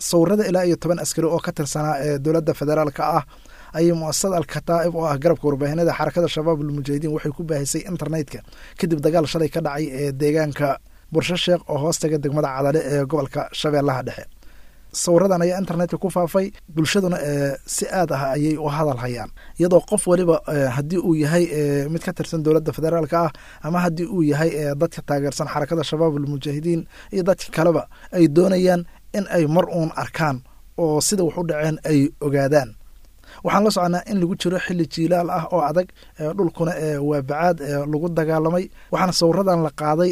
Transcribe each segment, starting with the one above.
Sawirada ilaa iyo 10 askari oo ka tirsanaa ee dowladda federaalka ah ayay muasasada Alkataa'ib oo ah garabka warbaahinada Xarakada Shabaab Almujaahidiin waxay ku baahisay internetka kadib dagaal shalay ka dhacay ee deegaanka Bursho Sheekh oo hoostaga degmada Cadale ee gobolka Shabeellaha Dhexe. Sawiradan ayaa internetka ku faafay, bulshaduna si aad ah ayay u hadal hayaan, iyadoo qof waliba haddii uu yahay mid ka tirsan dowladda federaalka ah ama haddii uu yahay dadka taageersan Xarakada Shabaab Almujaahidiin iyo dadka kaleba ay doonayaan in ay mar uun arkaan oo sida wax u dhaceen ay ogaadaan. Waxaan la soconaa in lagu jiro xilli jiilaal ah oo adag, dhulkuna waa bacaad lagu dagaalamay, waxaana sawiradan la qaaday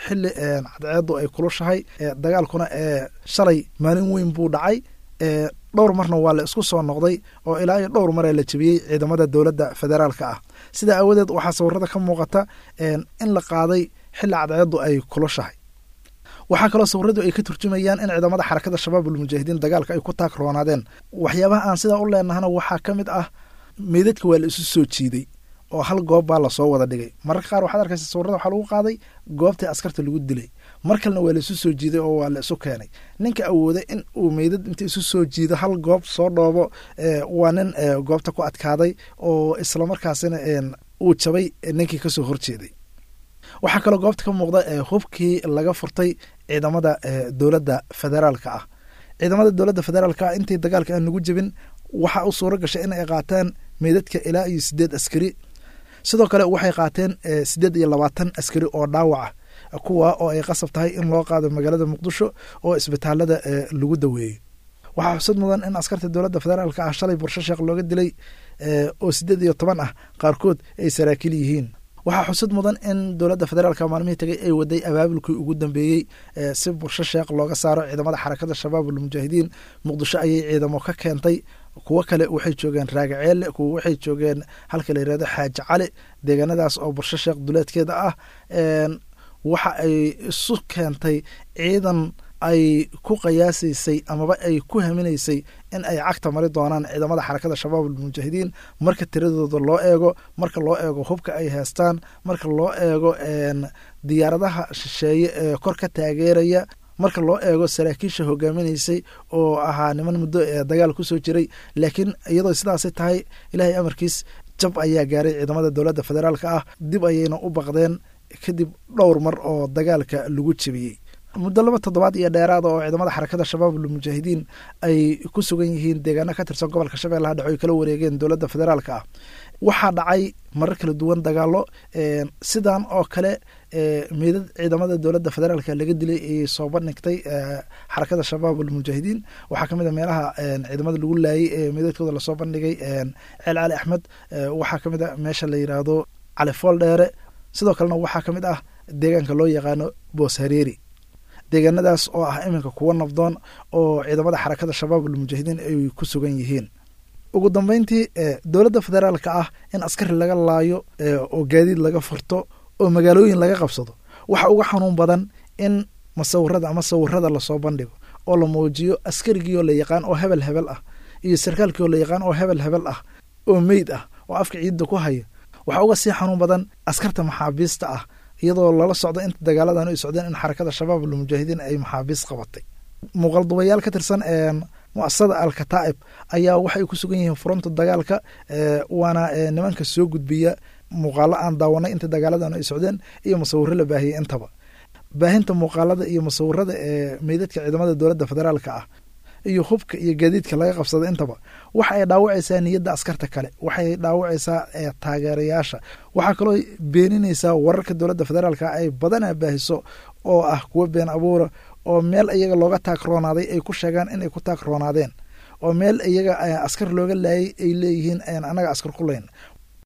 xilli cadceedu ay kulushahay. Dagaalkuna shalay maalin weyn buu dhacay, dhowr marna waa la isku soo noqday oo ilaa iyo dhowr maraa la jebiyey ciidamada dowladda federaalka ah. Sidaa aawadeed waxaa sawirada ka muuqata in la qaaday xilli cadceedu ay kulushahay. Waxaa kaloo sawiradu ay ka turjumayaan in ciidamada Xarakada Shabaab Almujaahidiin dagaalka ay ku taagroonaadeen. Waxyaabaha aan sidaa u leenahana waxaa ka mid ah meydadka waa la isu soo jiiday oo hal goob baa lasoo wada dhigay. Mararka qaar waxaad arkaysa sawirada waxaa lagu qaaday goobtii askarta lagu dilay, mar kalena waa la isu soo jiiday oo waa la isu keenay. Ninka awooday in uu meydad inta isu soo jiido hal goob soo dhoobo waa nin goobta ku adkaaday oo islamarkaasina uu jabay ninkii kasoo horjeeday. Waxaa kaloo goobta ka muuqda hubkii laga furtay ciidamada dowladda federaalka ah. Ciidamada dowladda federaalka ah intii dagaalka aan lagu jebin waxaa u suuro gashay in ay qaataan meydadka ilaa iyo 8 askari. Sidoo kale waxay qaateen 28 askari oo dhaawac ah, kuwa oo ay qasab tahay in loo qaado magaalada Muqdisho oo isbitaalada lagu daweeyo. Waxaa xusad mudan in askarta dowladda federaalka ah shalay Bursho Sheekh looga dilay oo 18 ah qaarkood ay saraakiil yihiin. Waxaa xusad mudan in dowladda federaalka maalmihii tagay ay waday abaabulkii ugu dambeeyey si Bursho Sheekh looga saaro ciidamada Xarakada Shabaab Almujaahidiin. Muqdisho ayay ciidamo ka keentay, kuwo kale waxay joogeen Raagaceelle, kuwo waxay joogeen halka la yirahdo Xaaji Cali, deegaanadaas oo Bursho Sheekh duleedkeeda ah. Waxa ay isu keentay ciidan ay ku qiyaasaysay amaba ay ku haminaysay in ay cagta mari doonaan ciidamada Xarakada Shabaab Almujaahidiin marka tiradooda loo eego, marka loo eego hubka ay haystaan, marka loo eego diyaaradaha shisheeye ee kor ka taageeraya, marka loo eego saraakiisha hogaaminaysay oo ahaa niman muddo dagaal kusoo jiray. Laakiin iyadoo sidaasay tahay, Ilaahay amarkiis jab ayaa gaaray ciidamada dowladda federaalka ah, dib ayayna u baqdeen kadib dhowr mar oo dagaalka lagu jebiyey. Muddo 2 toddobaad iyo dheeraada oo ciidamada Xarakada Shabaab Almujaahidiin ay ku sugan yihiin deegaano ka tirsan gobolka Shabeellaha Dhexe oy kala wareegeen dowladda federaalka ah, waxaa dhacay marar kala duwan dagaallo sidan oo kale meydad ciidamada dowladda federaalka laga dilay ayay soo bandhigtay Xarakada Shabaab Almujaahidiin. Waxaa kamid a meelaha ciidamada lagu laayay ee meydadkooda lasoo bandhigay Ceel Cali Axmed, waxaa kamid a meesha la yiraahdo Cali Fool Dheere, sidoo kalena waxaa kamid ah deegaanka loo yaqaano Boos Hareeri, deegaanadaas oo ah iminka kuwo nabdoon oo ciidamada Xarakada Shabaab Almujaahidiin ay ku sugan yihiin. Ugu dambeyntii, dowladda federaalka ah in askari laga laayo oo gaadiid laga furto oo magaalooyin laga qabsado waxa uga xanuun badan in masawirada ama sawirada lasoo bandhigo oo la muujiyo askarigiioo la yaqaan oo hebel hebel ah iyo sarkaalkiioo la yaqaan oo hebel hebel ah oo meyd ah oo afka ciidda ku haya. Waxaa uga sii xanuun badan askarta maxaabiista ah, iyadoo lala socdo inta dagaaladan ay socdeen in Xarakada Shabaab Almujaahidiin ay maxaabiis qabatay. Muuqaaldubayaal ka tirsan muasasada Alkataa'ib ayaa waxay ku sugan yihiin furunta dagaalka, waana nimanka soo gudbiya muuqaalo aan daawanay inta dagaaladan ay socdeen iyo masawiro la baahiyey intaba. Baahinta muuqaalada iyo masawirada ee meydadka ciidamada dowladda federaalka ah iyo hubka iyo gaadiidka laga qabsada intaba waxa ay dhaawacaysaa niyadda askarta kale, waxay dhaawacaysaa taageerayaasha, waxaa kaloo beeninaysaa wararka dowladda federaalka ay badanaa baahiso oo ah kuwo been abuura oo meel iyaga looga taagroonaaday ay ku sheegaan inay ku taagroonaadeen oo meel iyaga askar looga laayay ay leeyihiin anaga askar ku layn.